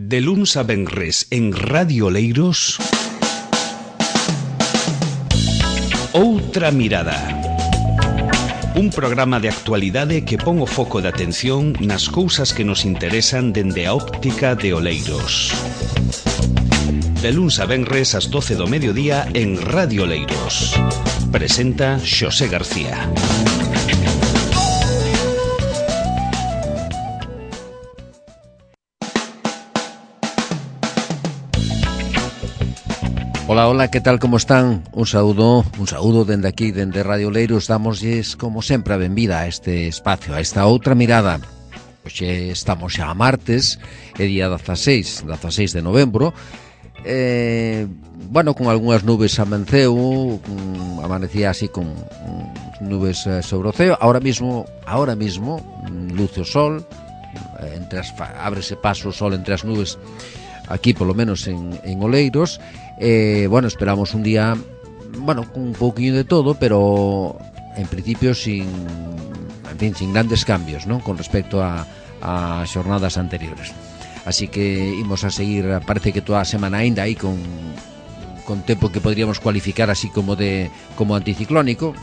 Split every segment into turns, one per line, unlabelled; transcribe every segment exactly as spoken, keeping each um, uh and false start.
De luns a venres en Radio Oleiros, Outra Mirada. Un programa de actualidade que pon o foco de atención nas cousas que nos interesan dende a óptica de Oleiros. De luns a venres ás doce do mediodía en Radio Oleiros. Presenta Xosé García.
Hola, hola, que tal, como están? Un saúdo, un saúdo dende aquí, dende Radio Oleiros. Damosles, como sempre, a benvida a este espacio, a esta outra mirada. Hoxe estamos xa a martes, é día dezaseis, dezaseis de novembro. Eh, bueno, con algunhas nubes amenceu, con, amanecía así con um, nubes eh, sobre o ceo. Ahora mismo, ahora mismo, luce o sol, entre as, ábrese paso o sol entre as nubes, aquí polo menos en, en Oleiros. Eh, bueno, esperamos un día, bueno, con un pouquinho de todo, pero en principio sin, en fin, sin grandes cambios, ¿no?, con respecto a, a xornadas anteriores. Así que imos a seguir, parece que toda a semana ainda aí con, con tempo que podríamos cualificar así como de como anticiclónico,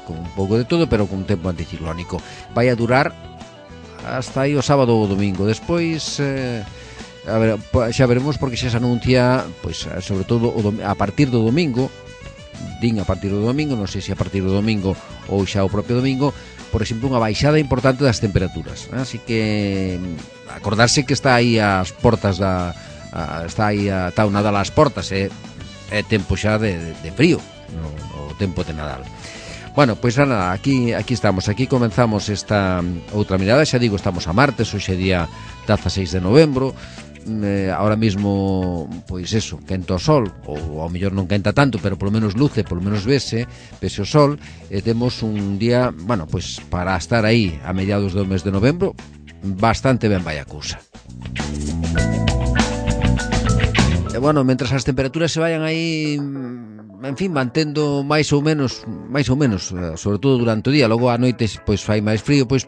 con un pouco de todo, pero con un tempo anticiclónico. Vai a durar hasta aí o sábado ou o domingo. Despois eh, a ver, xa veremos, porque xa se anuncia, pois, sobre todo a partir do domingo, din a partir do domingo, non sei se a partir do domingo ou xa o propio domingo, por exemplo, unha baixada importante das temperaturas. Así que acordarse que está aí as portas da a, está aí a, está o Nadal ás portas, é, é tempo xa de, de frío, no, o tempo de Nadal. Bueno, pois nada, aquí aquí estamos, aquí comenzamos esta outra mirada. Xa digo, estamos a martes, hoxe é día dezaseis de novembro. Eh, ahora mismo, pois eso, quenta o sol, ou ao mellor non quenta tanto, pero polo menos luce, polo menos vese, vese o sol, e temos un día, bueno, pois para estar aí a mediados do mes de novembro, bastante ben vai a cousa. E bueno, mentras as temperaturas se vayan aí, en fin, mantendo máis ou menos, máis ou menos, sobre todo durante o día, logo a noite pois fai máis frío, pois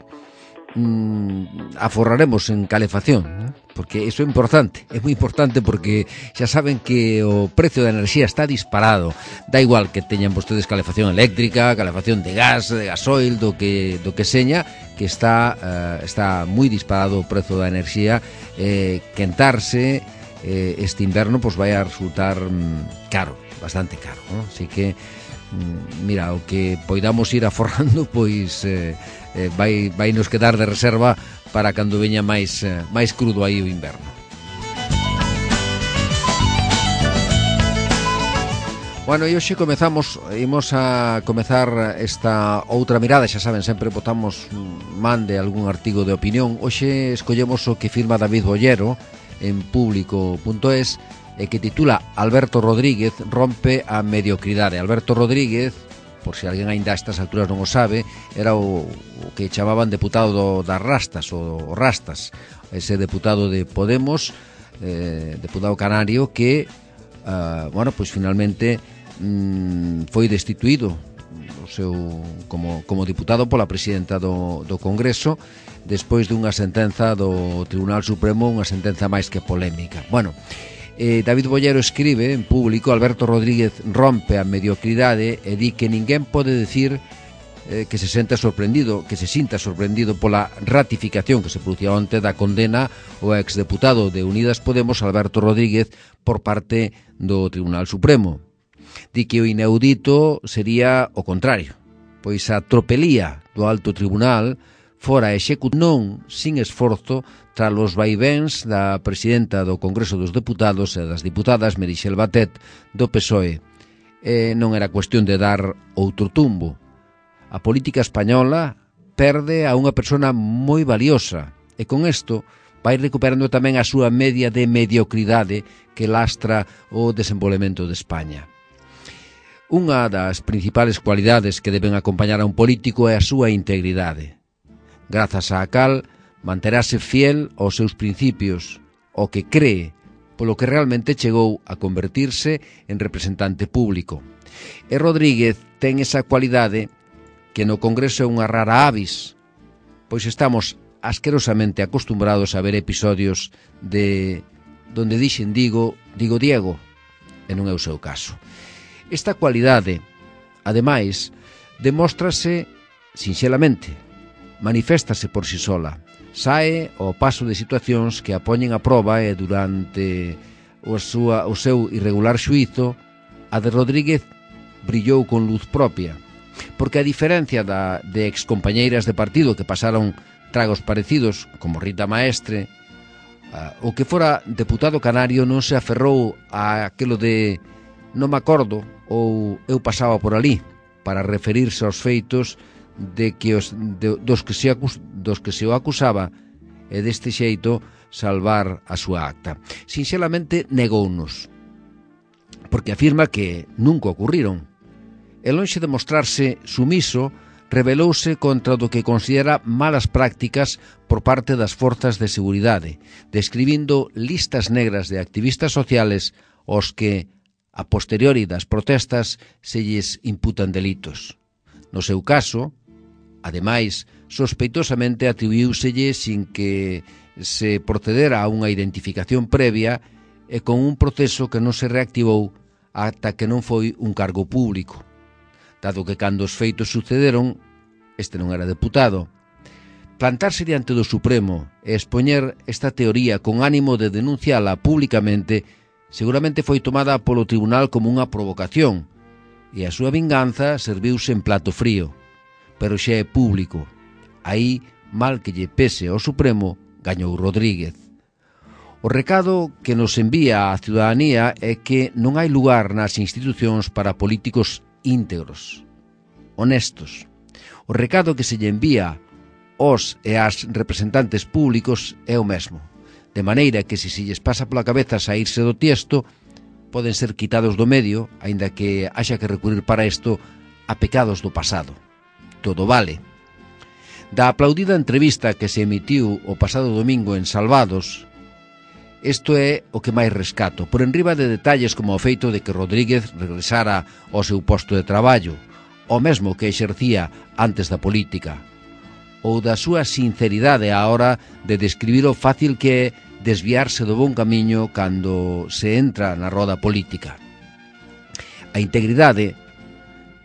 mm, aforraremos en calefacción, ¿no? Porque iso é importante, é moi importante, porque xa saben que o precio da enerxía está disparado. Da igual que teñan vostedes calefacción eléctrica, calefacción de gas, de gasoil, do que do que seña, que está uh, está moi disparado o prezo da enerxía. Eh, quentarse eh, este inverno pois vai a resultar mm, caro, bastante caro, ¿no? Así que mm, mira, o que poidamos ir aforrando, pois eh, eh, vai, vai nos quedar de reserva para cando veña máis, eh, máis crudo aí o inverno. Bueno, e hoxe comezamos, imos a comezar esta outra mirada. Xa saben, sempre botamos man de algún artigo de opinión. Hoxe escollemos o que firma David Bollero en público punto es, e que titula Alberto Rodríguez rompe a mediocridade. Alberto Rodríguez, por se alguén aínda a estas alturas non o sabe, era o, o que chamaban deputado do, das Rastas, o, o Rastas, ese deputado de Podemos, eh, deputado canario, que, uh, bueno, pois finalmente mm, foi destituído o seu, como, como diputado pola presidenta do, do Congreso, despois dunha sentenza do Tribunal Supremo, unha sentenza máis que polémica. Bueno, Eh, David Bollero escribe en público: Alberto Rodríguez rompe a mediocridade e di que ninguén pode decir eh, que se senta sorprendido, que se sinta sorprendido pola ratificación que se producía onte da condena ao exdeputado de Unidas Podemos, Alberto Rodríguez, por parte do Tribunal Supremo. Di que o inaudito sería o contrario, pois a tropelía do Alto Tribunal fora executada non sin esforzo tras os vaivéns da presidenta do Congreso dos Deputados e das diputadas Meritxell Batet do P S O E. E non era cuestión de dar outro tumbo. A política española perde a unha persona moi valiosa, e con isto vai recuperando tamén a súa media de mediocridade que lastra o desenvolvemento de España. Unha das principales cualidades que deben acompañar a un político é a súa integridade. Grazas á cal manterase fiel aos seus principios, o que cree, polo que realmente chegou a convertirse en representante público. E Rodríguez ten esa cualidade que no Congreso é unha rara avis, pois estamos asquerosamente acostumbrados a ver episodios de donde dixen digo, digo Diego, e non é o seu caso. Esta cualidade, ademais, demóstrase sinxelamente, maniféstase por si sola, sae ao paso de situacións que a poñen a proba e durante o, súa, o seu irregular xuízo, a de Rodríguez brillou con luz propia, porque a diferencia da, de excompañeiras de partido que pasaron tragos parecidos, como Rita Maestre, uh, o que fora deputado canario non se aferrou a aquilo de non me acordo ou eu pasaba por ali, para referirse aos feitos de que os, de, dos, que se acus, dos que se o acusaba e deste xeito salvar a súa acta. Sinxelamente negounos, porque afirma que nunca ocurriron. E lonxe de mostrarse sumiso, rebelouse contra do que considera malas prácticas por parte das forzas de seguridade, describindo listas negras de activistas sociales aos que, a posteriori das protestas, se lles imputan delitos. No seu caso, ademais, sospeitosamente atribuíuselle sin que se procedera a unha identificación previa e con un proceso que non se reactivou ata que non foi un cargo público, dado que cando os feitos sucederon, este non era deputado. Plantarse diante do Supremo e expoñer esta teoría con ánimo de denunciala públicamente seguramente foi tomada polo tribunal como unha provocación e a súa vinganza serviuse en plato frío. Pero xa é público. Aí, mal que lle pese ao Supremo, gañou Rodríguez. O recado que nos envía a ciudadanía é que non hai lugar nas institucións para políticos íntegros, honestos. O recado que se lle envía aos e ás representantes públicos é o mesmo, de maneira que se se lles pasa pola cabeza saírse do tiesto, poden ser quitados do medio, aínda que haxa que recurrir para isto a pecados do pasado. Todo vale. Da aplaudida entrevista que se emitiu o pasado domingo en Salvados, isto é o que máis rescato, por enriba de detalles como o feito de que Rodríguez regresara ao seu posto de traballo, o mesmo que exercía antes da política, ou da súa sinceridade á hora de describir o fácil que é desviarse do bon camiño cando se entra na roda política. A integridade,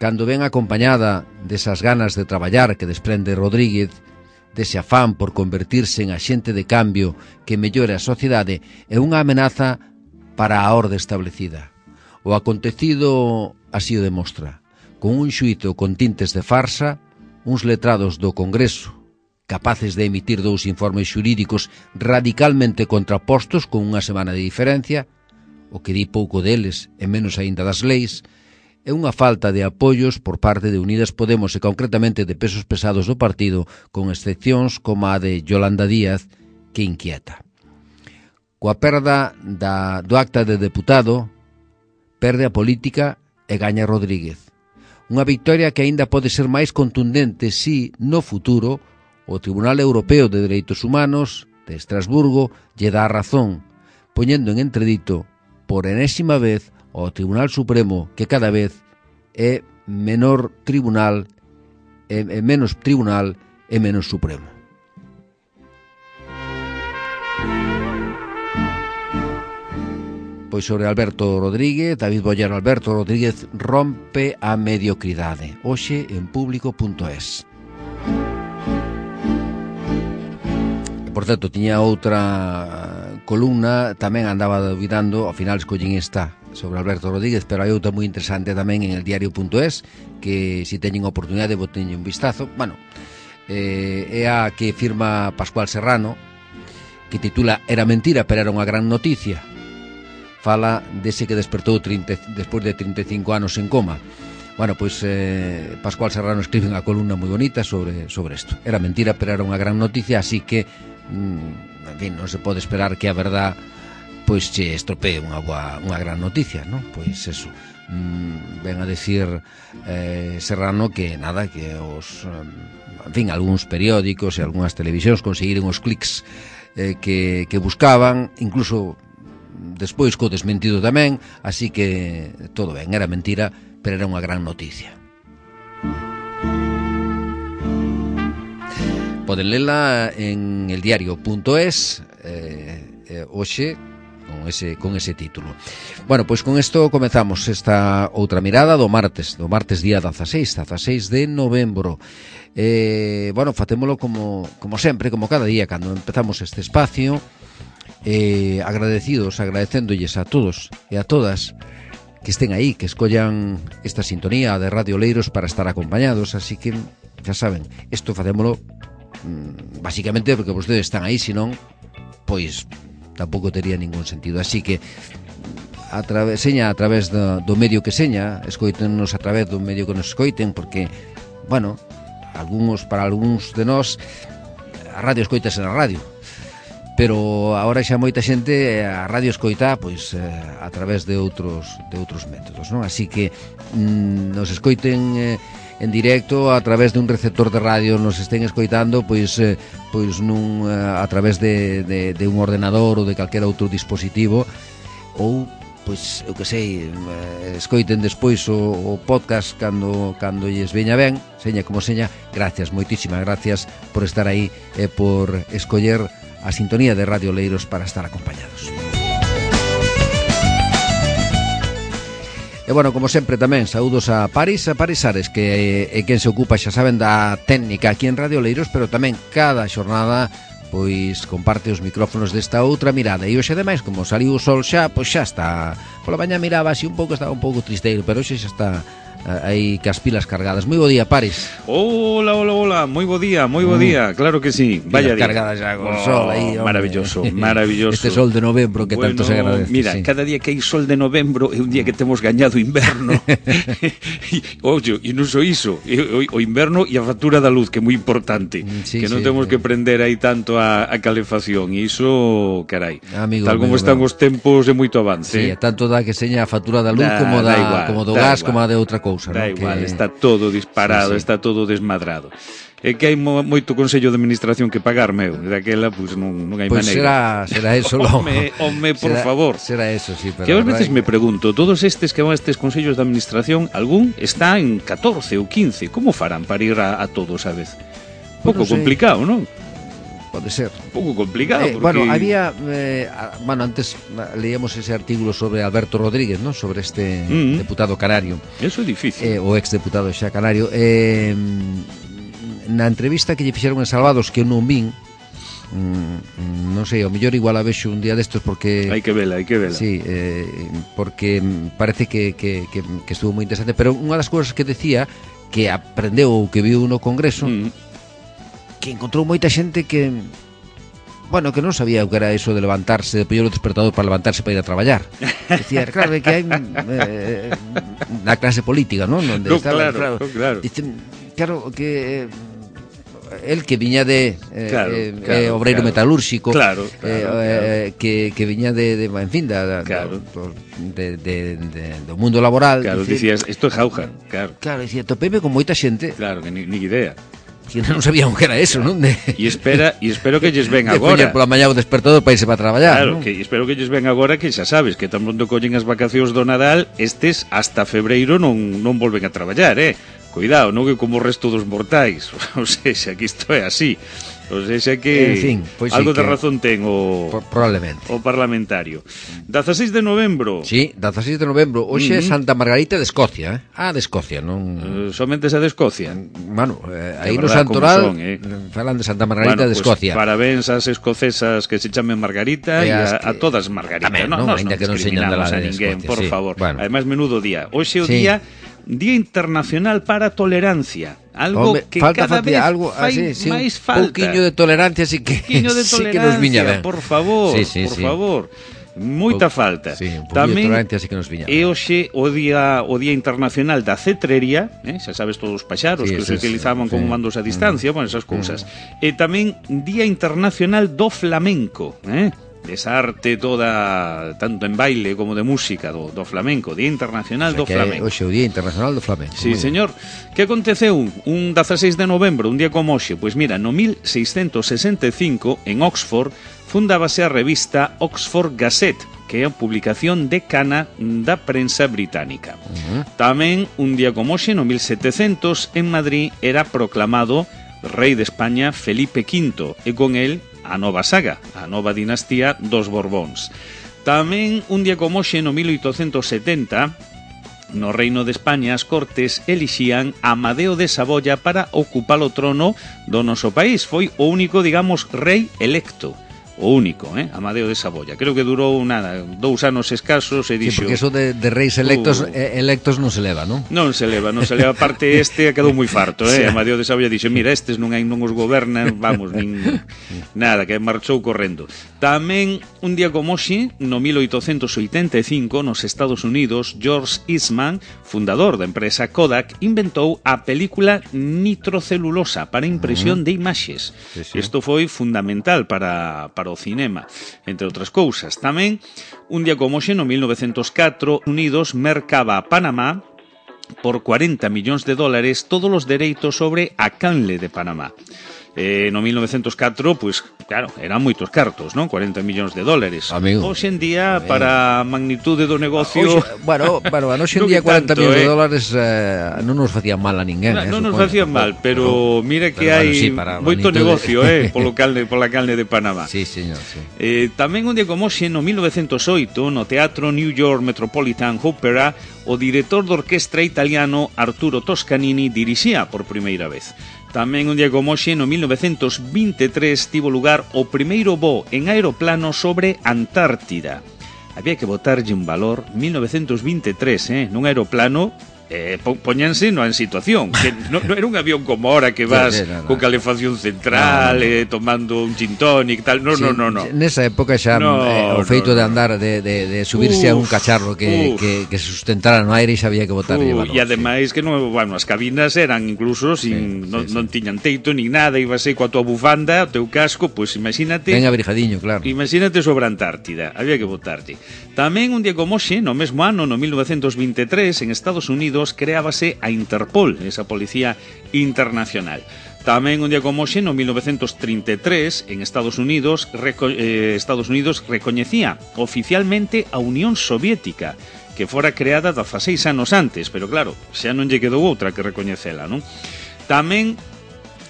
cando ven acompañada desas ganas de traballar que desprende Rodríguez, dese afán por convertirse en axente de cambio que mellore a sociedade, é unha amenaza para a orde establecida. O acontecido así o demostra, con un xuízo con tintes de farsa, uns letrados do Congreso, capaces de emitir dous informes xurídicos radicalmente contrapostos con unha semana de diferencia, o que di pouco deles e menos aínda das leis, é unha falta de apoios por parte de Unidas Podemos e concretamente de pesos pesados do partido, con excepcións como a de Yolanda Díaz, que inquieta. Coa perda da, do acta de deputado, perde a política e gaña Rodríguez. Unha victoria que aínda pode ser máis contundente si, no futuro, o Tribunal Europeo de Dereitos Humanos de Estrasburgo lle dá a razón, poñendo en entredito, por enésima vez, ao Tribunal Supremo, que cada vez é menor tribunal, é, é menos tribunal e menos supremo. Pois sobre Alberto Rodríguez, David Bollero. Alberto Rodríguez rompe a mediocridade. Hoxe en público punto es. Por certo, tiña outra columna, tamén andaba duvidando, ao final escollín esta sobre Alberto Rodríguez, pero hai outra moi interesante tamén en el diario punto es, que se teñen oportunidade boteñen un vistazo. Bueno, eh, é a que firma Pascual Serrano, que titula Era mentira, pero era unha gran noticia. Fala dese que despertou treinta, despois de trinta e cinco anos en coma. Bueno, pois eh, Pascual Serrano escribe unha columna moi bonita sobre sobre isto. Era mentira, pero era unha gran noticia, así que mm, en fin, non se pode esperar que a verdad pois che estropee unha boa, unha gran noticia, non? Pois eso, mm, ven a decir eh, Serrano que nada, que os, en fin, algúns periódicos e algunhas televisións conseguiren os clics eh, que, que buscaban, incluso despois co desmentido tamén, así que todo ben, era mentira, pero era unha gran noticia. poden lela en eldiario punto es eh, eh, hoxe con ese, con ese título. Bueno, pois con isto comezamos esta outra mirada do martes, do martes día dezaseis, dezaseis de novembro. Eh, bueno, facémolo como, como sempre, como cada día cando empezamos este espacio, eh, agradecidos, agradecéndolles a todos e a todas que estén aí, que escollan esta sintonía de Radio Oleiros para estar acompañados, así que xa saben, isto facémolo mmm, basicamente porque vostedes están aí, senón pois tampouco tería ningún sentido, así que a través, seña a través do, do medio que seña, escoítennos a través do medio que nos escoiten, porque bueno, algúns, para algúns de nós a radio escoitase na radio, pero agora xa moita xente a radio escoita pois eh, a través de outros de outros métodos, non? Así que mm, nos escoiten eh, en directo a través de un receptor de radio, nos estén escoitando pois eh, pois nun a través de, de, de un ordenador ou de calquera outro dispositivo, ou pois eu que sei, eh, escoiten despois o, o podcast cando cando lles veña ben, seña como seña. Gracias, moitísimas gracias por estar aí e por escoller a sintonía de Radio Oleiros para estar acompañados. E bueno, como sempre tamén, saúdos a Paris, a Paris Ares, que é quen se ocupa, xa saben, da técnica aquí en Radio Oleiros, pero tamén cada xornada pois comparte os micrófonos desta outra mirada. E hoxe ademais, como saliu o sol xa, pois xa está. Pola mañá miraba así un pouco, estaba un pouco tristeiro, pero hoxe xa está aí cas pilas cargadas. Moi bo día, Paris.
Hola, hola, hola, moi bo día, moi bo día, claro que sí. Vaya día.
Cargadas xa con
oh,
sol aí, hombre.
Maravilloso, maravilloso.
Este sol de novembro que
bueno,
tanto se agradece.
Mira, sí. Cada día que hai sol de novembro é un día que temos gañado inverno. Oye, e non só iso, o inverno e a factura da luz, que é moi importante, sí, que non sí, temos sí. que prender aí tanto a, a calefacción, e iso, carai, amigo, tal como amigo, están amigo. Os tempos é moito avance.
Sí, eh? Tanto da que seña a factura da luz da, como da, da igual, como do gas, igual. Como a de outra cousa,
da
¿no?
igual,
que...
está todo disparado, sí, sí. Está todo desmadrado. É que hai mo, moito consello de administración que pagar, meu, daquela, pois, non, non hai
pues maneira. Pois será, será eso, lo...
Home, home, por
será,
favor.
Será eso, sí, pero...
Que a veces me pregunto, todos estes que van a estes consellos de administración, algún está en catorce ou quince, como farán para ir a, a todos a vez? Pouco pues no complicado, non?
Pode ser.
Pouco complicado,
eh,
porque...
Bueno, había... Eh, bueno, antes leíamos ese artículo sobre Alberto Rodríguez, ¿no? Sobre este mm-hmm. deputado canario.
Eso é difícil.
Eh, o exdeputado xa canario. Eh... Na entrevista que lle fixeron en Salvados, que eu non vin, mmm, non sei, ao mellor igual a vexo un día destos porque...
Hai que vela, hai que vela.
Sí, eh, porque parece que, que, que, que estuvo moi interesante, pero unha das cousas que decía, que aprendeu ou que viu no Congreso, mm. que encontrou moita xente que... Bueno, que non sabía o que era eso de levantarse, de poñer o despertador para levantarse para ir a traballar. Decía, claro, que hai eh, na clase política, non? Donde
no,
estaba,
claro, claro. claro.
Dicen, claro, que... el que viña de eh,
claro,
eh,
claro,
eh, obreiro
claro.
metalúrxico,
claro, claro,
eh,
claro.
Eh, que, que viña de, de en fin, da,
claro.
do, de, de, de, do mundo laboral.
Claro,
dice,
dicías, isto é jauja, claro.
Claro, dicía, topeme con moita xente.
Claro, que ni, ni idea.
Que non sabían o que era eso, non? De,
e espera, e espero que lles ven
de
agora.
De pola mañá o despertador para irse para traballar,
claro,
non?
que espero que lles ven agora, que xa sabes, que tan pronto collen as vacacións do Nadal, estes hasta febreiro non non volven a traballar, eh? Cuidado, non que como o resto dos mortais. O sea, que isto é así. O sea, que
en fin, pues
algo
sí,
de razón ten o
probablemente
o parlamentario. dezaseis de novembro.
Sí, dezaseis de novembro. Hoxe é uh-huh. Santa Margarita de Escocia, eh? Ah, de Escocia, non...
Uh, somente esa de Escocia.
Bueno, eh, aí no Santoral son, eh? Falan de Santa Margarita bueno, de Escocia.
Pues, parabéns ás escocesas que se chamen Margarita e a, a todas Margarita.
Tamén, non,
no,
ainda que non señan de la
a
de
ninguén,
Escocia,
por
sí.
favor.
Bueno.
Ademais, menudo día. Hoxe é o
sí.
día Día Internacional para a Tolerancia. Algo
Hombre,
que
falta
cada vez
algo,
fai
así, sí,
máis falta.
Un pouquiño de tolerancia sí que,
de tolerancia,
sí que nos viña ben.
Por favor,
sí, sí,
por
sí.
favor. Moita
po,
falta.
Sí, un
Tamén
de tolerancia sí que nos viña ben.
E hoxe o día o Día Internacional da Cetrería, eh? Xa sabes todos os paxaros sí, que se utilizaban sí, como mandos a distancia, mm. bueno, esas cousas. Mm. E tamén Día Internacional do Flamenco, eh? Esa arte toda, tanto en baile como de música do, do flamenco, Día Internacional o sea, do Flamenco.
Hoxe o Día Internacional do Flamenco.
Sí, señor. Que aconteceu un dezaseis de novembro, un día como hoxe? Pois mira, no mil seiscentos sesenta e cinco, en Oxford, fundábase a revista Oxford Gazette, que é a publicación decana da prensa británica. Uh-huh. Tamén, un día como hoxe, no mil setecentos, en Madrid, era proclamado rei de España Felipe quinto, e con el a nova saga, a nova dinastía dos Borbóns. Tamén un día como hoxe, no mil oitocentos setenta, no Reino de España as Cortes elixían a Amadeo de Saboya para ocupar o trono do noso país. Foi o único, digamos, rei electo. O único, eh? Amadeo de Saboya. Creo que durou nada, dous anos escasos e dixo...
Sí, porque eso de, de reis electos uh, electos non se leva, non?
Non se leva, non se leva. Parte este quedou moi farto, eh? Sí. Amadeo de Saboya dixo, mira, estes non hai non os gobernan, vamos, nin nada, que marchou correndo. Tamén, un día como hoxe, no mil oitocentos oitenta e cinco, nos Estados Unidos, George Eastman, fundador da empresa Kodak, inventou a película nitrocelulosa para impresión uh -huh. de imaxes. Sí, sí. Isto foi fundamental para, para o cinema, entre outras cousas. Tamén, un día como hoxe, no mil novecentos catro, Unidos mercaba a Panamá por cuarenta millóns de dólares todos os dereitos sobre a canle de Panamá. Eh, no mil novecentos catro, pois, pues, claro, eran moitos cartos, non? cuarenta millóns de dólares. Amigo. Hoxe en día, amigo, para a magnitude do negocio...
Oxe, bueno, bueno, hoxe en día cuarenta millóns eh? de dólares eh, non nos facían mal a ninguén.
Non,
eh,
non nos facían mal, pero, pero mira que pero, hai bueno, sí, moito negocio eh, polo calne, pola calne de Panamá.
Sí, señor, sí.
Eh, tamén un día como hoxe, no mil novecentos oito, no Teatro New York Metropolitan Opera, o director de orquestra italiano Arturo Toscanini dirixía por primeira vez. Tamén un día como hoxe, no mil novecentos vinte e tres, tivo lugar o primeiro voo en aeroplano sobre Antártida. Había que botarlle un valor, mil novecentos vinte e tres, eh, nun aeroplano... Eh, poñanse no en situación que non no era un avión como ahora que vas sí, sí, no, no. con calefacción central no, no. Eh, tomando un gin tonic tal, no, sí, no, no, no
nesa época xa no, eh, o feito no, no. de andar de, de, de subirse uf, a un cacharro que, que, que se sustentara no aire e xa había que botarlle valor.
E ademais sí. que non, bueno, as cabinas eran incluso sin, sí, non, sí, non sí. tiñan teito nin nada, ibas aí coa tua bufanda, o teu casco, pois pues, imagínate
ben abrigadiño, claro,
imagínate sobre a Antártida, había que botarlle. Tamén un día como hoxe, no mesmo ano, no mil novecentos vinte e tres, en Estados Unidos creábase a Interpol, esa policía internacional. Tamén un día como hoxe, no mil novecentos trinta e tres, en Estados Unidos, reco eh, Estados Unidos recoñecía oficialmente a Unión Soviética, que fora creada dezaseis anos antes, pero claro, xa non lle quedou outra que recoñecela, non? Tamén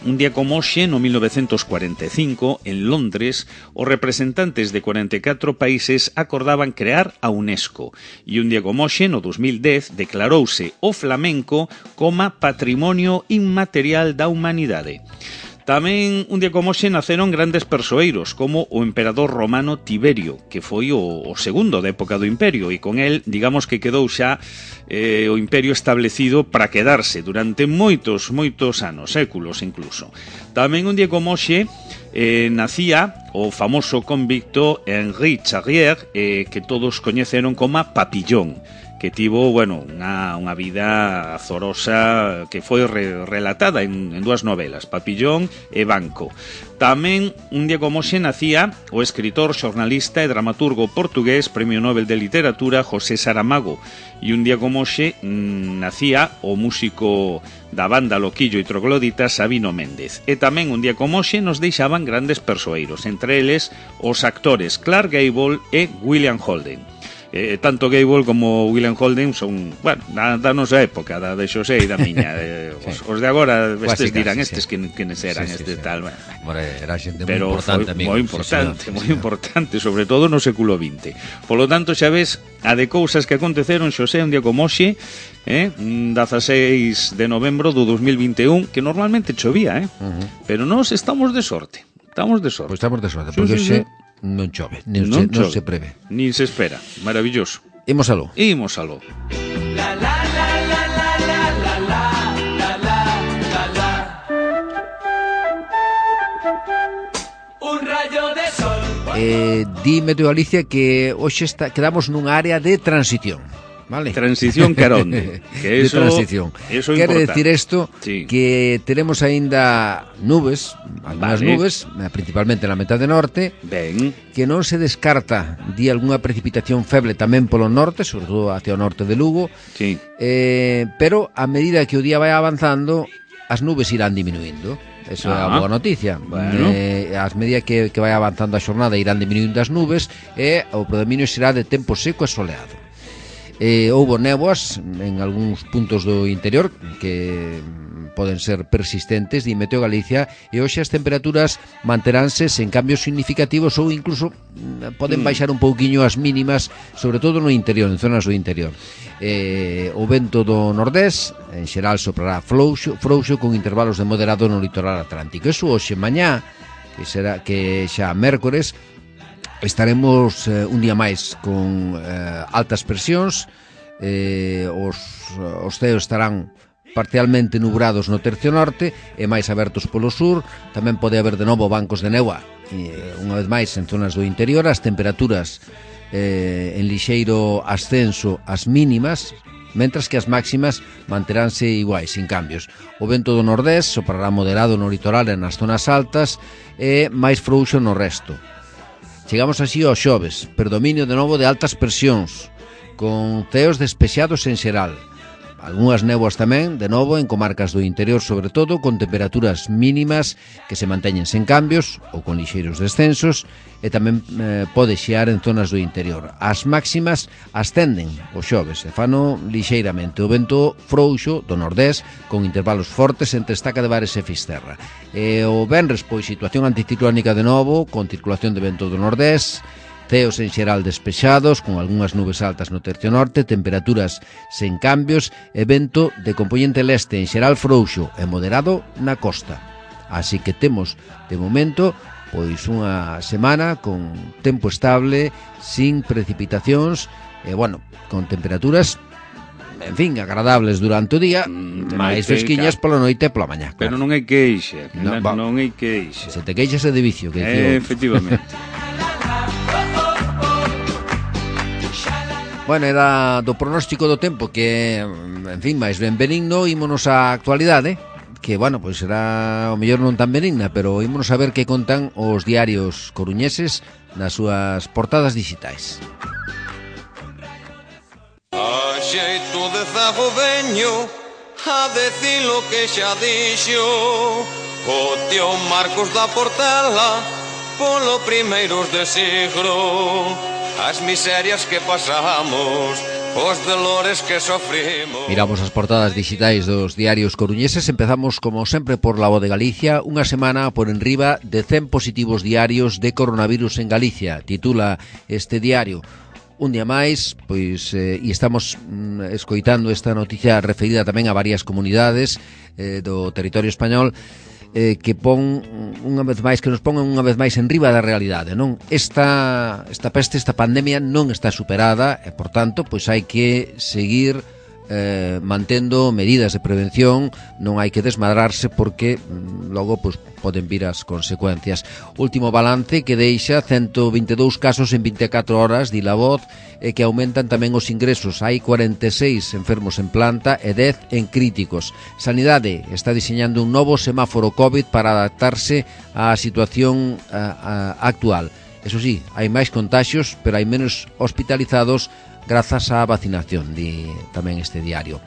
un día como hoxe, no mil novecentos cuarenta e cinco, en Londres, os representantes de cuarenta e catro países acordaban crear a UNESCO. E un día como hoxe, no dos mil dez, declarouse o flamenco como patrimonio inmaterial da humanidade. Tamén un día como hoxe naceron grandes persoeiros como o emperador romano Tiberio, que foi o, o segundo da época do imperio, e con el, digamos que quedou xa eh, o imperio establecido para quedarse durante moitos, moitos anos, séculos incluso. Tamén un día como hoxe eh, nacía o famoso convicto Henri Charrier, eh, que todos coñeceron como Papillón, que tivo, bueno, unha, unha vida azorosa que foi re, relatada en, en dúas novelas, Papillón e Banco. Tamén, un día como hoxe, nacía o escritor, xornalista e dramaturgo portugués, Premio Nobel de Literatura, José Saramago. E un día como hoxe, mmm, nacía o músico da banda Loquillo e Troglodita, Sabino Méndez. E tamén, un día como hoxe, nos deixaban grandes persoeiros, entre eles os actores Clark Gable e William Holden. Eh, tanto Gable como William Holden son, bueno, da, da nosa época, da de Xosé e da miña. Eh, sí. os, os de agora, estes dirán, sí, estes sí. quenes eran, sí, sí, este sí. tal. Bueno,
bueno, era xente moi importante, amigo.
Moi importante, sí, moi sí, importante, sobre todo no século vinte. Polo tanto, xa ves, a de cousas que aconteceron, Xosé, un día como hoxe, eh, dezaseis de novembro do dos mil vinte e un, que normalmente chovía, eh? Uh -huh. Pero nós estamos de sorte. Estamos de sorte.
Pois pues estamos de sorte, porque sí, sí, sí. non chove, non, non, se, non se prevé.
Nin se espera, maravilloso.
Imos aló.
Imos aló. La, la, la, la, la, la, la, la, la, la, la.
Un rayo de sol. Eh, dime tú, Alicia, que hoxe está, quedamos nunha área de transición. Vale.
Transición caronde, que eso,
de transición.
Eso
quere decir isto sí. que teremos aínda nubes, algunhas vale. nubes, principalmente na metade norte,
ben.
que non se descarta di algunha precipitación feble tamén polo norte, sobre todo hacia o norte de Lugo,
sí.
eh, pero a medida que o día vai avanzando, as nubes irán diminuindo. Eso ah, é a boa noticia.
Bueno.
Eh, as medida que, que vai avanzando a xornada irán diminuindo as nubes e o predominio será de tempo seco e soleado. Eh, houbo néboas en algúns puntos do interior que poden ser persistentes, di Meteo Galicia, e hoxe as temperaturas manteránse sen cambios significativos ou incluso poden baixar un pouquiño as mínimas, sobre todo no interior, en zonas do interior. Eh, o vento do nordés en xeral soprará frouxo, frouxo con intervalos de moderado no litoral atlántico. Eso hoxe, mañá, que será que xa mércores, estaremos eh, un día máis con eh, altas presións, eh, os, os ceos estarán parcialmente nubrados no tercio norte e máis abertos polo sur. Tamén pode haber de novo bancos de néboa, eh, unha vez máis en zonas do interior. As temperaturas eh, en lixeiro ascenso as mínimas, mentras que as máximas manteránse iguais, sin cambios. O vento do nordés soprará moderado no litoral e nas zonas altas e máis frouxo no resto. Chegamos así ao xoves, predominio de novo de altas presións, con ceos despexados en xeral. Algúnas néboas tamén, de novo, en comarcas do interior, sobre todo, con temperaturas mínimas que se manteñen sen cambios ou con lixeiros descensos, e tamén eh, pode xear en zonas do interior. As máximas ascenden o xoves e fano lixeiramente. O vento frouxo do nordés, con intervalos fortes entre Estaca de Bares e Fisterra. E o venres, pois, situación anticiclónica de novo, con circulación de vento do nordés, ceos en xeral despexados, con algunhas nubes altas no tercio norte, temperaturas sen cambios e vento de compoñente leste en xeral frouxo e moderado na costa. Así que temos, de momento, pois unha semana con tempo estable, sin precipitacións e, bueno, con temperaturas, en fin, agradables durante o día, mm, máis fresquiñas pola noite e pola mañá.
Claro. Pero non hai queixa, no, non, non hai queixa.
Se te queixas é de vicio, que
eh, efectivamente.
Bueno, era do pronóstico do tempo que, en fin, máis ben benigno. Ímonos á actualidade, que, bueno, pois será o mellor non tan benigna, pero ímonos a ver que contan os diarios coruñeses nas súas portadas digitais.
A xeito de zago veño a decir lo que xa dixo o tío Marcos da Portela polo primeiros de siglo. As miserias que pasamos, os dolores que sofrimos.
Miramos as portadas digitais dos diarios coruñeses. Empezamos, como sempre, por La Voz de Galicia. Unha semana por enriba de cen positivos diarios de coronavirus en Galicia, titula este diario. Un día máis, pois, eh, e estamos mm, escoitando esta noticia referida tamén a varias comunidades eh, do territorio español, Eh, que pon unha vez máis, que nos pongan unha vez máis en riba da realidade, non? Esta, esta peste, esta pandemia non está superada e, por tanto, pois hai que seguir eh, mantendo medidas de prevención, non hai que desmadrarse porque mm, logo pois, poden vir as consecuencias. Último balance que deixa ciento vinte e dous casos en vinte e catro horas, di La Voz, e que aumentan tamén os ingresos. Hai cuarenta e seis enfermos en planta e dez en críticos. Sanidade está diseñando un novo semáforo COVID para adaptarse á situación a, a, actual. Eso sí, hai máis contaxios, pero hai menos hospitalizados grazas á vacinación, di tamén este diario.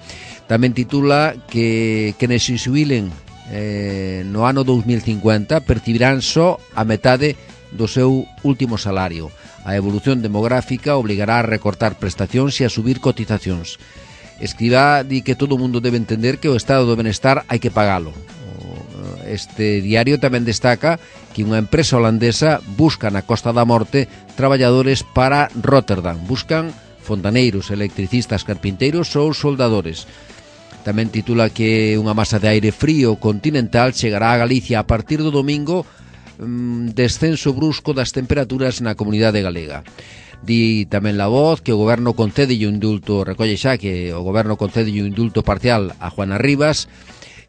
Tamén titula que quenes se xubilen eh, no ano dous mil cincuenta percibirán só a metade do seu último salario. A evolución demográfica obligará a recortar prestacións e a subir cotizacións. Escribá di que todo o mundo debe entender que o estado do benestar hai que pagalo. Este diario tamén destaca que unha empresa holandesa busca na Costa da Morte traballadores para Rotterdam. Buscan fontaneiros, electricistas, carpinteiros ou soldadores. Tamén titula que unha masa de aire frío continental chegará a Galicia a partir do domingo, mmm, descenso brusco das temperaturas na comunidade galega. Di tamén La Voz que o goberno concede un indulto, recolle xa que o goberno concede un indulto parcial a Juana Rivas.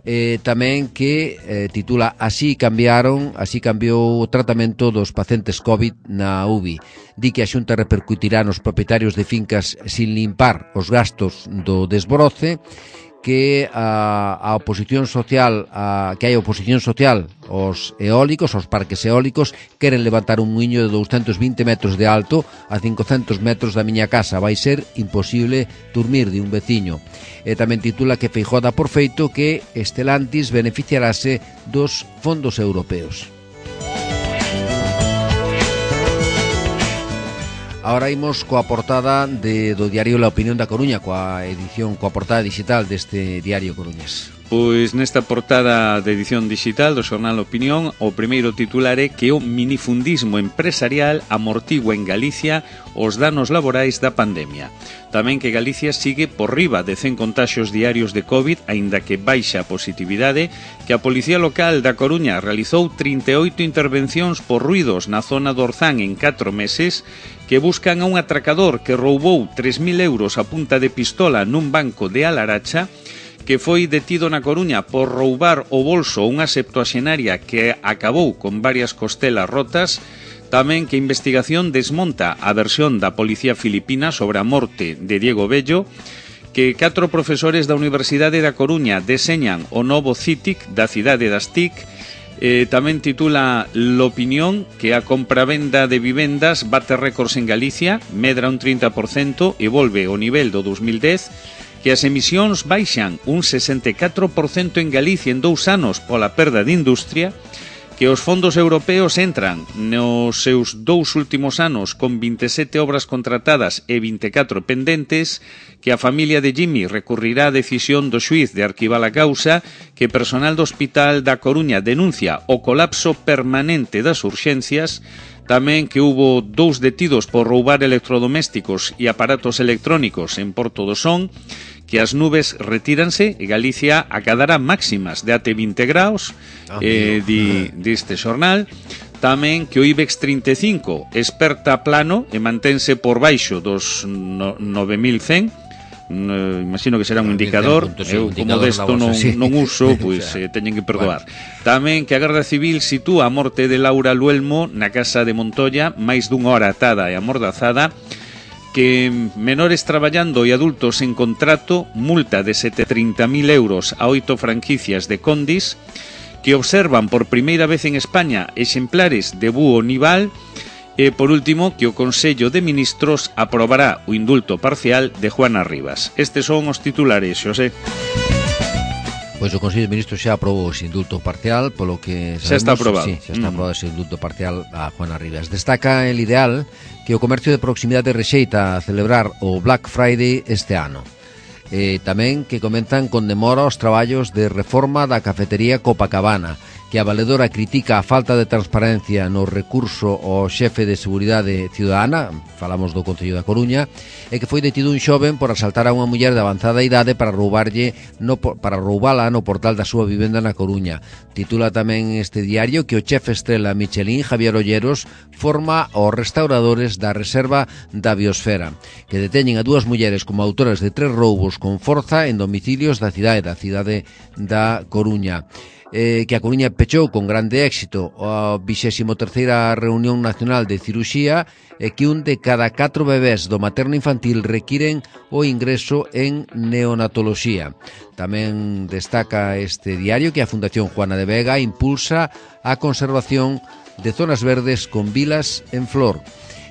Eh, tamén que eh, titula Así cambiaron, así cambiou o tratamento dos pacientes COVID na U B I. Di que a Xunta repercutirá nos propietarios de fincas sin limpar os gastos do desbroce, que a, a oposición social, a, que hai oposición social aos eólicos, aos parques eólicos, queren levantar un muiño de douscentos vinte metros de alto a cincocentos metros da miña casa. Vai ser imposible dormir, de un veciño. E tamén titula que Feijóo dá por feito que Estelantis beneficiarase dos fondos europeos. Ahora imos coa portada de, do diario La Opinión da Coruña, coa edición, coa portada digital deste diario coruñés.
Pois nesta portada de edición digital do xornal Opinión, o primeiro titular é que o minifundismo empresarial amortigua en Galicia os danos laborais da pandemia. Tamén que Galicia sigue por riba de cen contaxios diarios de COVID, aínda que baixa a positividade, que a Policía Local da Coruña realizou trinta e oito intervencións por ruidos na zona do Orzán en catro meses, que buscan a un atracador que roubou tres mil euros a punta de pistola nun banco de Alaracha, que foi detido na Coruña por roubar o bolso unha septuaxenaria que acabou con varias costelas rotas. Tamén que a investigación desmonta a versión da policía filipina sobre a morte de Diego Bello, que catro profesores da Universidade da Coruña deseñan o novo C I T I C da cidade das T I C. Eh, tamén titula L'Opinión que a compravenda de vivendas bate récords en Galicia, medra un trinta por cento e volve ao nivel do dos mil dez, que as emisións baixan un sesenta e catro por cento en Galicia en dous anos pola perda de industria, que os fondos europeos entran nos seus dous últimos anos con vinte e sete obras contratadas e vinte e catro pendentes, que a familia de Jimmy recurrirá a decisión do xuíz de arquivar a causa, que personal do Hospital da Coruña denuncia o colapso permanente das urxencias, tamén que hubo dous detidos por roubar electrodomésticos e aparatos electrónicos en Porto do Son, que as nubes retíranse e Galicia acadará máximas de até vinte graus, ah, eh, di, diste xornal. Tamén que o IBEX trinta e cinco esperta plano e mantense por baixo dos no, nove mil cen. No, imagino que será un indicador. Puntos, eu sí, como desto non, sí. non uso, pois pues, eh, teñen que perdoar. Bueno. Tamén que a Garda Civil sitúa a morte de Laura Luelmo na casa de Montoya, máis dunha hora atada e amordazada, que menores traballando e adultos en contrato, multa de setecientos e trinta mil euros a oito franquicias de Condis, que observan por primeira vez en España exemplares de búho nival, e, por último, que o Consello de Ministros aprobará o indulto parcial de Juana Rivas. Estes son os titulares, Xosé.
Pois o Consello de Ministros xa aprobou ese indulto parcial, polo que sabemos,
xa está aprobado.
Sí, xa está aprobado mm. ese indulto parcial a Juana Rivas. Destaca el Ideal que o comercio de proximidade rexeita a celebrar o Black Friday este ano. E tamén que comentan con demora os traballos de reforma da cafetería Copacabana, que a valedora critica a falta de transparencia no recurso ao xefe de Seguridade Ciudadana, falamos do Concello da Coruña, e que foi detido un xoven por asaltar a unha muller de avanzada idade para roubarlle no, para roubala no portal da súa vivenda na Coruña. Titula tamén este diario que o chefe estrela Michelin, Javier Olleros, forma aos restauradores da Reserva da Biosfera, que deteñen a dúas mulleres como autoras de tres roubos con forza en domicilios da cidade, da cidade da Coruña. Eh, que a Coruña pechou con grande éxito a vixésima terceira reunión nacional de ciruxía e que un de cada catro bebés do materno infantil requiren o ingreso en neonatoloxía. Tamén destaca este diario que a Fundación Juana de Vega impulsa a conservación de zonas verdes con vilas en flor.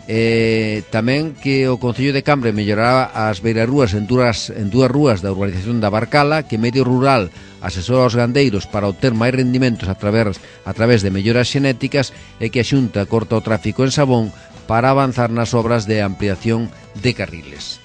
Eh, tamén que o Concello de Cambre mellorará as beirarrúas en dúas, en dúas rúas da urbanización da Barcala, que Medio Rural asesora aos gandeiros para obter máis rendimentos a través, a través de melloras xenéticas, e que a Xunta corta o tráfico en Sabón para avanzar nas obras de ampliación de carriles.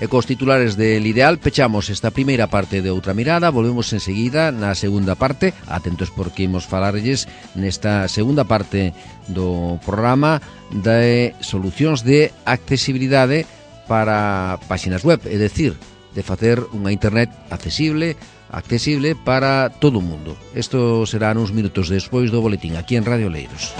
E cos titulares del Ideal pechamos esta primeira parte de Outra Mirada. Volvemos enseguida na segunda parte. Atentos porque imos falarlles nesta segunda parte do programa de solucións de accesibilidade para páxinas web, é dicir, de facer unha internet accesible, accesible para todo o mundo. Isto será uns minutos despois do boletín aquí en Radio Oleiros.